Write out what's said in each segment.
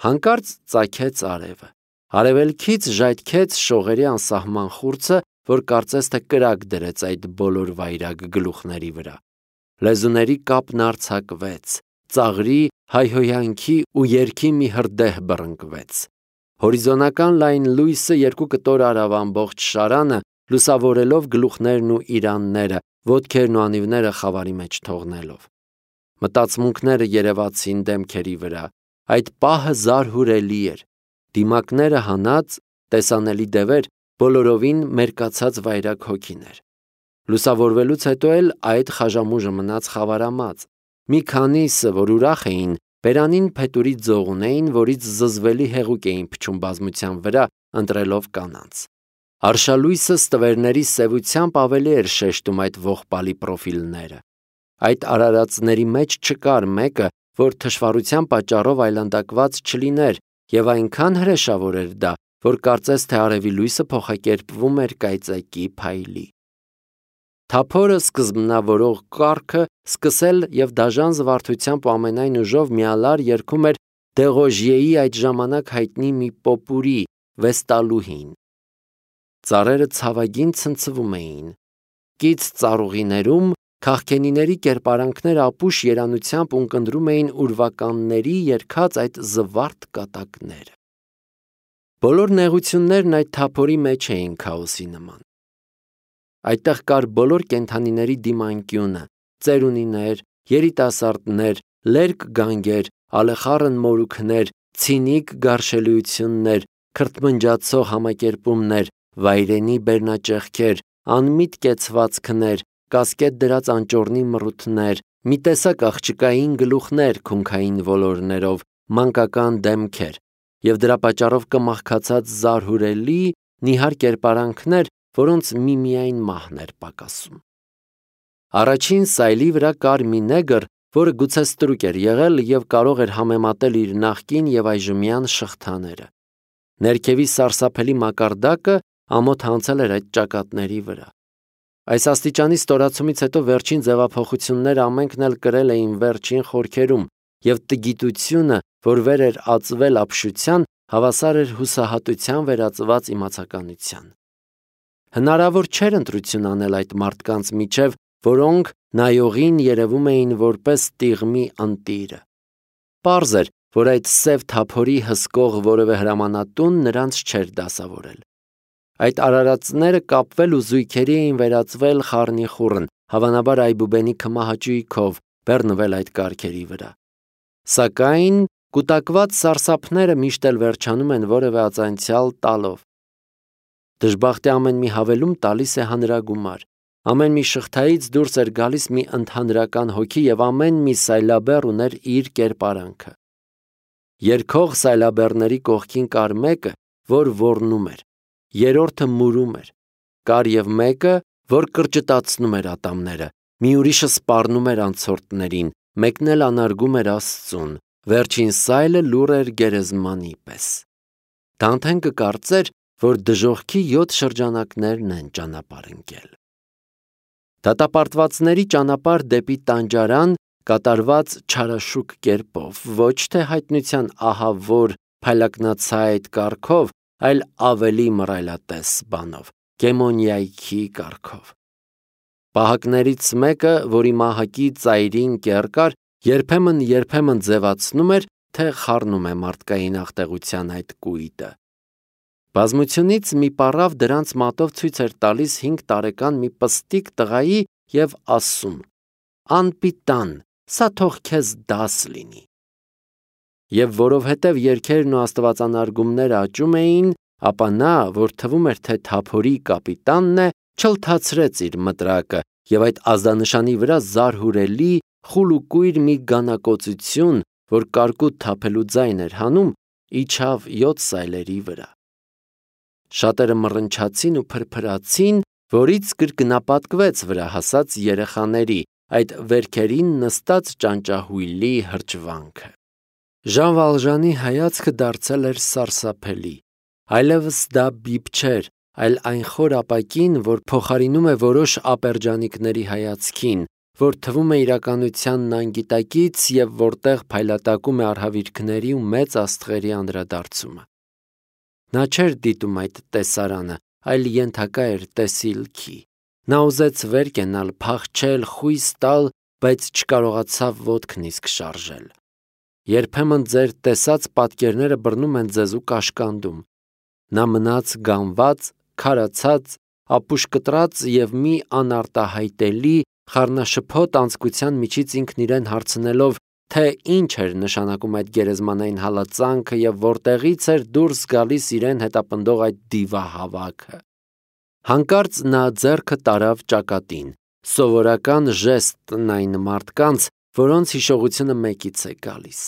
Հանկարծ ծագեց արևը։ Արևելքից ժայթքեց շողերի անսահման խուրձը, որ կարծես թե կրակ դրեց այդ բոլոր վայրագ գլուխների վրա։ Լեզուների կապն արձակվեց, ծաղրի, հայհոյանքի ու երգի մի հրդեհ բռնկվեց։ Հորիզոնական լայն լույսը երկու կտոր արավ ամբողջ շարանը, լուսավորելով գլուխներն ու իրանները, ոտքերն ու անիվները խավարի մեջ թողնելով։ Մտածմունքները երևացին դեմքերի վրա։ Այդ պահը զարհուրելի էր։ Դիմակները հանած, տեսանելի դևեր, բոլորովին մերկացած վայրագ հոգիներ։ Լուսավորվելուց հետո էլ այդ խաժամուժը մնաց խավարամած։ Մի քանիսը, որ ուրախ էին, բերանին փետուրի ձող ունեին, որից զզվելի հեղուկ էին փչում բազմության վրա, ընտրելով կանանց։ Արշալույսը ստվերների սևությամբ ավելի էր շեշտում այդ ողբալի պրոֆիլները։ Այդ արարածների մեջ չկար մեկը, որ թշվառության պատճառով այլանդակված չլիներ, եւ այնքան հրեշավոր էր դա, որ կարծես թե արևի լույսը փոխակերպվում էր կայծակի փայլի։ Թափորը սկզբնավորող կառքը սկսել եւ դաժան զվարթությամբ ու ամենայն ուժով միալար երգում էր Դեղոժիեի այդ ժամանակ հայտնի մի պոպուրի վեստալուհին։ Ծառերը ցավագին ցնցվում էին։ Կից ծառուղիներում քաղքենիների կերպարանքները ապուշ երանությամբ ունկնդրում էին ուրվականների երգած այդ զվարթ կատակները։ Բոլոր նեղություններն այդ թափորի մեջ էին քաոսի նման։ Այդտեղ կար բոլոր կենդանիների դիմանկյունը, ծերունիներ, երիտասարդներ, լերկ գանգեր, ալեխառն մորուքներ, ցինիկ գարշելիություններ, քրթմնջացող համակերպումներ, վայրենի բերնաճեղքեր, անմիտ կեցվածքներ, կասկետ դրած անճոռնի մռութներ, մի տեսակ աղջկային գլուխներ քունքային ոլորներով, մանկական դեմքեր, եւ դրա պատճառով կմախքացած զարհուրելի նիհար կերպարանքներ, որոնց միմիայն մահն էր պակասում։ Առաջին սայլի վրա կար մի նեգր, որը գուցե ստրուկ էր եղել եւ կարող էր համեմատել իր նախկին եւ այժմյան շղթաները։ Ներքևի սարսափելի մակարդակը ամոթ հանցել էր այդ ճակատների վրա։ Այս աստիճանի ստորացումից հետո վերջին ձևափոխությունները ամենքն էլ կրել էին վերջին խորքերում, եւ տգիտությունը, որ վեր էր ածվել ապշության, հավասար էր հուսահատության վերածված իմացականության։ Հնարավոր չէր ընտրություն անել այդ մարդկանց միջև, որոնք նայողին երևում էին որպես տիղմի ընտիրը։ Պարզ էր, որ այդ սև թափորի հսկող որևէ հրամանատուն նրանց չէր դասավորել։ Այդ արարածները կապվել ու զույգերի էին վերածվել խառնիխուռն, հավանաբար այբուբենի քմահաճույքով բեռնվել այդ կառքերի վրա։ Սակայն կուտակված սարսափները միշտ էլ վերջանում են որևէ ածանցյալ տալով։ Դժբախտի ամեն մի հավելում տալիս է հանրագումար։ Ամեն մի շղթայից դուրս էր գալիս մի ընդհանրական հոգի եւ ամեն մի սայլաբեռ ուներ իր կերպարանքը։ Երգող սայլաբեռների կողքին կար մեկը, որ ոռնում էր, երրորդը մուրում էր, կար եւ մեկը, որ կրճտացնում էր ատամները, մի ուրիշը սպառնում էր անցորդներին, մեկն էլ անարգում էր Աստծուն, վերջին սայլը լուռ էր գերեզմանի պես։ Դանթեն կկարծեր, որ դժոխքի 7 շրջանակներն են ճանապարհ ընկել։ Դատապարտվածների ճանապարհ դեպի տանջարան կատարված չարաշուկ կերպով, ոչ թե հայտնության ահավոր փայլակնացայդ կարգով, այլ ավելի մռայլատես բանով, գեմոնիայքի կարգով։ Պահակներից մեկը, որի մահակի ծայրին կեռ կար, երբեմն ձևացնում էր, թե խառնում է մարդկային աղտեղության այդ կույտը։ Բազմությունից մի պառավ դրանց մատով ցույց էր տալիս 5 տարեկան մի պստիկ տղայի եւ ասում. «Անպիտան, սա թող քեզ դաս լինի»։ Եվ որովհետև երգերն ու աստվածանարգումները աճում էին, ապա նա, որ թվում էր, թե թափորի կապիտանն է, չլթացրեց իր մտրակը եւ այդ ազդանշանի վրա զարհուրելի խուլ ու կույր մի գանակոծություն, որ կարկուտ թափելու ձայն էր հանում, իջավ 7 սայլերի վրա։ Շատերը մռնչացին ու փրփրացին, որից կրկնապատկվեց վրա հասած երեխաների, այդ վերքերին նստած ճանճահույլի հրճվանքը։ Ժան Վալժանի հայացքը դարձել էր սարսափելի, այլևս դա բիբ չէր, այլ այն խոր ապակին, որ փոխարինում է որոշ ապերջանիկների հայացքին, որ թվում է իրականությանն անգիտակից և որտեղ փայլատակում է արհավիրքների ու մեծ աստղերի անդրադարձումը։ Նա չէր դիտում այդ տեսարանը, այլ ենթակա էր տեսիլքի։ Նա ուզեց վեր կենալ, փախչել, խույս տալ, բայց չկարողացավ ոտքն իսկ շարժել։ Երբեմն ձեր տեսած պատկերները բռնում են ձեզ ու կաշկանդում։ Նա մնաց գանված, քարացած, ապուշ կտրած և մի անարտահայտելի, խառնաշփոթ անձկության միջից ինքն իրեն հարցնելով, թե ինչ էր նշանակում այդ գերեզմանային հալածանքը և որտեղից էր դուրս գալիս իրեն հետապնդող այդ դիվահավաքը։ Հանկարծ նա ձեռքը տարավ ճակատին, սովորական ժեստն այն մարդկանց, որոնց հիշողությունը մեկից է գալիս։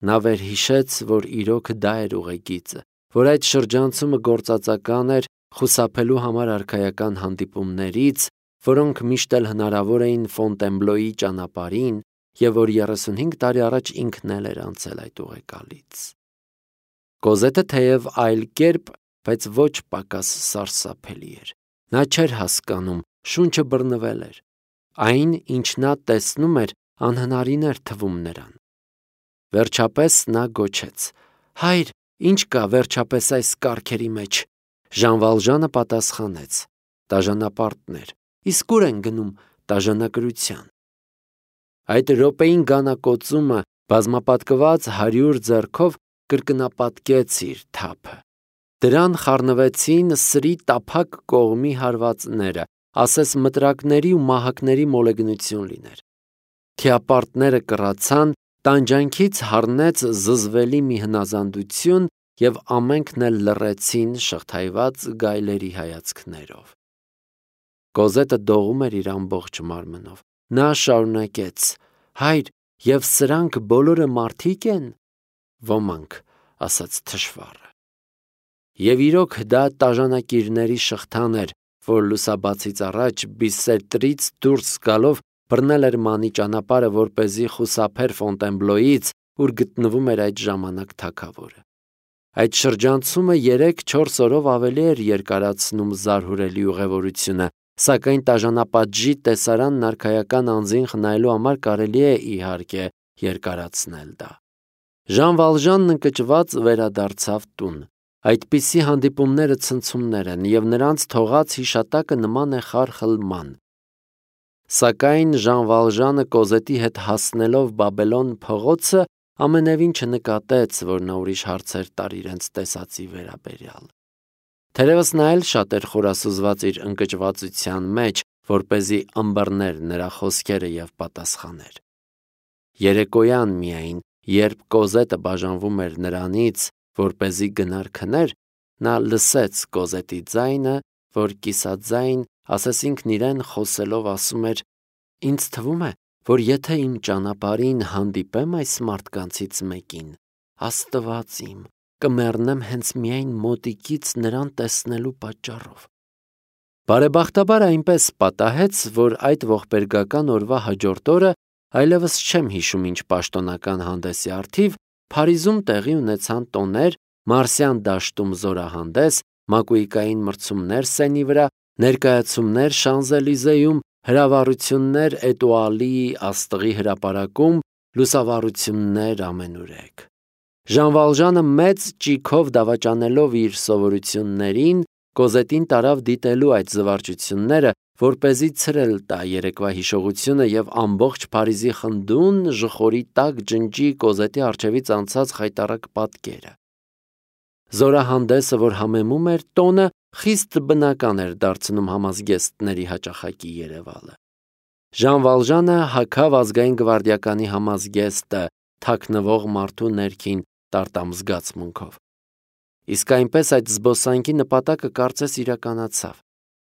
Նա վերհիշեց, որ իրոք դա էր ուղեգիծը, որ այդ շրջանցումը գործածական էր խուսափելու համար արքայական հանդիպումներից, որոնք միշտ էլ հնարավոր էին Ֆոնտենբլոյի ճանապարհին, և որ 35 տարի առաջ ինքն էլ էր անցել այդ ուղեկալից։ Կոզետը թեև այլ կերպ, բայց ոչ պակաս սարսափելի էր։ Նա չէր հասկանում, շունչը բռնվել էր։ Այն, ինչ նա տեսնում էր, անհնարին էր թվում նրան։ Վերջապես նա գոչեց. «Հայր, ինչ կա վերջապես այս կառքերի մեջ»։ Ժան Վալժանը պատասխանեց. «Դաժանապարտներ, իսկ ուր են գնում դաժանակրության»։ Այդ րոպեին գանակոծումը բազմապատկված 100 ձեռքով կրկնապատկեց իր թափը։ Դրան խառնվեցին սրի տափակ կողմի հարվածները, ասես մտրակների ու մահակների մոլեգնություն լիներ։ Թիապարտները կռացան, տանջանքից հառնեց զզվելի մի հնազանդություն, և ամենքն էլ լռեցին շղթայված գայլերի հայացքներով։ Կոզետը դողում էր իր ամբողջ մարմնով։ Նա շարունակեց. «Հայր, և սրանք բոլորը մարդիկ են»։ «Ոմանք», ասաց թշվառը։ Եվ իրոք դա տաժանակիրների շղթան էր, որ լուսաբացից առաջ Բիսետրից դուրս գալով բռնել էր Մանի ճանապարհը, որպեսզի խուսափեր Ֆոնտենբլոյից, ուր գտնվում էր այդ ժամանակ թագավորը։ Այդ շրջանցումը 3-4 օրով ավելի էր երկարացնում զարհուրելի ուղևորությունը, սակայն տաժանապատժի տեսարանն արքայական անձին խնայելու համար կարելի է, իհարկե, երկարացնել դա։ Ժան Վալժանն ընկճված վերադարձավ տուն։ Այդպիսի հանդիպումները ցնցումներ են, և նրանց թողած հիշատակը նման է խարխլման։ Սակայն Ժան Վալժանը Կոզետի հետ հասնելով Բաբելոն փողոցը ամենևին չնկատեց, որ նա ուրիշ հարցեր տար իրենց տեսածի վերաբերյալ։ Թերևս նա էլ շատ էր խորասուզված իր ընկճվածության մեջ, որպեսզի ըմբռներ նրա խոսքերը և պատասխաներ։ Երեկոյան միայն, երբ Կոզետը բաժանվում էր նրանից, որպեսզի գնար քներ, նա լսեց Կոզետի ձայնը, որ կիսաձայն, ասես ինքն իրեն խոսելով ասում էր. «Ինձ թվում է, որ եթե իմ ճանապարհին հանդիպեմ այս մարդկանցից մեկին, Աստված իմ, կմեռնեմ հենց միայն մոտիկից նրան տեսնելու պատճառով»։ Բարեբախտաբար այնպես պատահեց, որ այդ ողբերգական օրվա հաջորդ օրը, այլևս չեմ հիշում ինչ պաշտոնական հանդեսի առթիվ, Փարիզում տեղի ունեցան տոներ, Մարսյան դաշտում զորահանդես, մակույկային մրցումներ Սենի վրա, ներկայացումներ Շանզելիզեում, հրավառություններ Էտուալի աստղի հրապարակում, լուսավառություններ ամենուրեք։ Ժան Վալժանը մեծ ճիգով դավաճանելով իր սովորություններին, Կոզետին տարավ դիտելու այդ զվարճությունները, որպեսզի ցրել տա երեկվա հիշողությունը և ամբողջ Փարիզի խնդուն ժխորի տակ ջնջի Կոզետի առջևից անցած խայտառակ պատկերը։ Զորահանդեսը, որ համեմում էր տոնը, խիստ բնական էր դարձնում համազգեստների հաճախակի երևալը։ Ժան Վալժանը հագավ ազգային գվարդիականի համազգեստը թաքնվող մարդու ներքին տարտամզգացմունքով։ Իսկ այնպես այդ զբոսանքի նպատակը կարծես իրականացավ։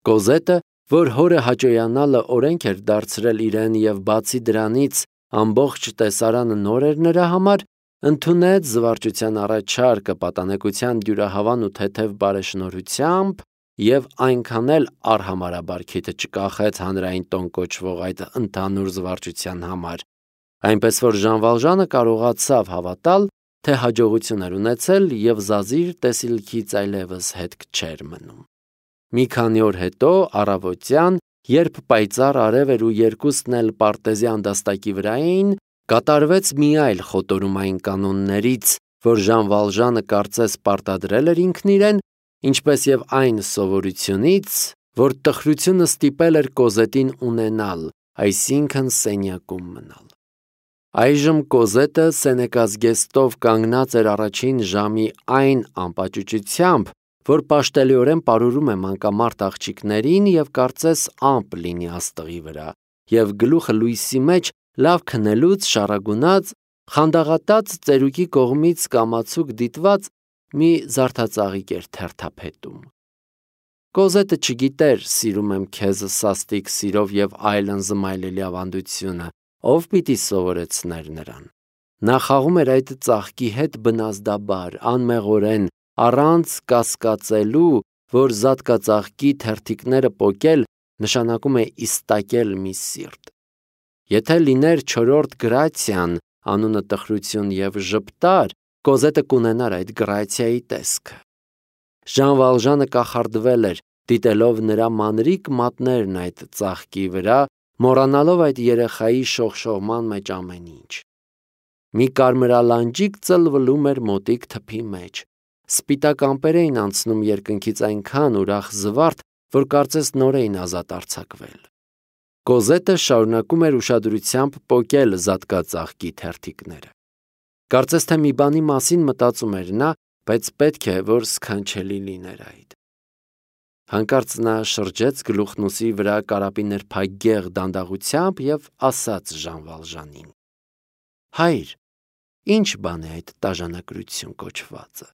Կոզետը, որ հորը հաճոյանալը օրենք էր դարձրել իրեն և բացի դրանից ամբողջ տեսարանը նոր էր նրա համար, ընդունեց զվարճության առաջարկը պատանեկության դյուրահավան ու թեթև բարեշնորհությամբ և այնքան էլ արհամարհաբար քիթը չկախեց հանրային տոն կոչվող այդ ընդհանուր զվարճության համար, այնպես որ Ժան Վալժանը կարողացավ հավատալ, թե հաջողություն էր ունեցել և զազիր տեսիլքից այլևս հետք չէր մնում։ Մի քանի օր հետո առավոտյան Երբ պայծառ արև էր ու երկուսն էլ պարտեզի անդաստակի վրա էին, կատարվեց մի այլ խոտորումային կանոններից, որ Ժան Վալժանը կարծես պարտադրել էր ինքն իրեն, ինչպես եւ այն սովորությունից, որ տխրությունը ստիպել էր Կոզետին ունենալ, այսինքն սենյակում մնալ։ Այժմ Կոզետը Սենեկա զգեստով կանգնած էր առաջին ժամի այն անպաճուճությամբ, որ պաշտելիորեն պարուրում է մանկամարտ աղջիկներին եւ կարծես ամպ լինի աստղի վրա, եւ գլուխը լույսի մեջ լավ քնելուց շարագունած, խանդաղատած ծերուկի կողմից կամացուկ դիտված մի զարդածաղիկ էր թերթափետում։ Կոզետը չգիտեր սիրում եմ քեզ սաստիկ սիրով եւ այլն զմայլելի ավանդությունը, ով պիտի սովորեցներ նրան։ Նա խաղում էր այդ ծաղկի հետ բնազդաբար, անմեղորեն, առանց կասկածելու, որ զատկածաղկի թերթիկները պոկել նշանակում է իստակել մի սիրտ։ Եթե լիներ չորրորդ գրացիան, անունը տխրություն եւ ժպտար, Կոզետը կունենար այդ գրացիայի տեսքը։ Ժան Վալժանը կախարդվել էր, դիտելով նրա մանրիկ մատներն այդ ծաղկի վրա, մոռանալով այդ երեխայի շողշողման մեջ ամեն ինչ։ Մի կարմրալանջիկ ծլվլում էր մոտիկ թփի մեջ։ Սպիտակ ամպեր էին անցնում երկնքից այնքան ուրախ զվարթ, որ կարծես նոր էին ազատ արձակվել։ Կոզետը շարունակում էր ուշադրությամբ պոկել զատկածաղկի թերթիկները։ Կարծես թե մի բանի մասին մտածում էր նա, բայց պետք է, որ սքանչելի լիներ այդ։ Հանկարծ նա շրջեց գլուխն ուսի վրա կարապի նրբագեղ դանդաղությամբ եւ ասաց Ժան Վալժանին. «Հայր, ինչ բան է այդ տաժանակրություն կոչվածը»։